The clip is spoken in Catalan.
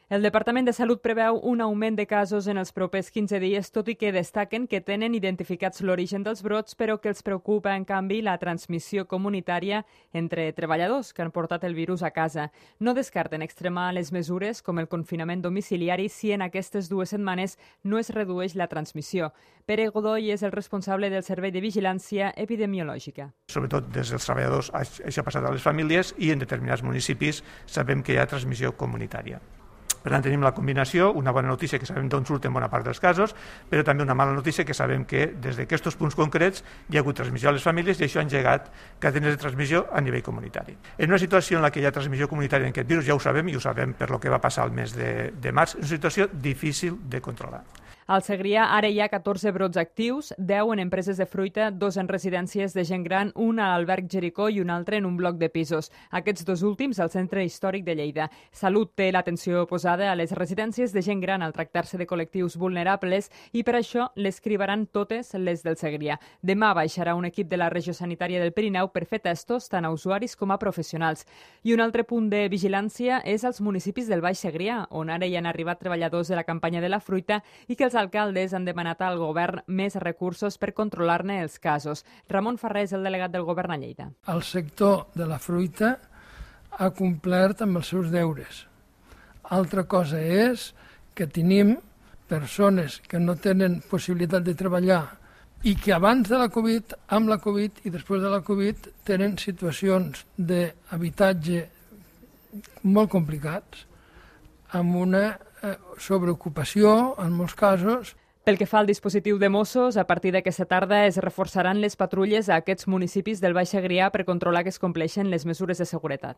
El Departament de Salut preveu un augment de casos en els propers 15 dies, tot i que destaquen que tenen identificats l'origen dels brots, però que els preocupa, en canvi, la transmissió comunitària entre treballadors que han portat el virus a casa. No descarten extremar les mesures, com el confinament domiciliari, si en aquestes 2 setmanes no es redueix la transmissió. Pere Godoy és el responsable del Servei de Vigilància Epidemiològica. Sobretot des dels treballadors, això ha passat a les famílies i en determinats municipis sabem que hi ha transmissió comunitària. Per tant, tenim la combinació, una bona notícia que sabem d'on surten bona part dels casos, però també una mala notícia que sabem que des d'aquests punts concrets hi ha hagut transmissió a les famílies i això ha engegat cadenes de transmissió a nivell comunitari. En una situació en la que hi ha transmissió comunitària en aquest virus, ja ho sabem, i ho sabem per lo que va passar el mes de març, és una situació difícil de controlar. Al Segrià ara hi ha 14 brots actius, 10 en empreses de fruita, 2 en residències de gent gran, un a l'Alberg Jericó i un altre en un bloc de pisos. Aquests 2 últims al Centre Històric de Lleida. Salut té l'atenció posada a les residències de gent gran al tractar-se de col·lectius vulnerables i per això les cribaran totes les del Segrià. Demà baixarà un equip de la Regió Sanitària del Pirineu per fer testos tant a usuaris com a professionals. I un altre punt de vigilància és als municipis del Baix Segrià, on ara hi han arribat treballadors de la campanya de la fruita i que els alcaldes han demanat al govern més recursos per controlar-ne els casos. Ramon Ferrer és el delegat del govern a Lleida. El sector de la fruita ha complert amb els seus deures. Altra cosa és que tenim persones que no tenen possibilitat de treballar i que abans de la Covid, amb la Covid i després de la Covid tenen situacions d'habitatge molt complicats, amb una sobreocupació, en molts casos. Pel que fa al dispositiu de Mossos, a partir d'aquesta tarda es reforçaran les patrulles a aquests municipis del Baix Segrià per controlar que es compleixen les mesures de seguretat.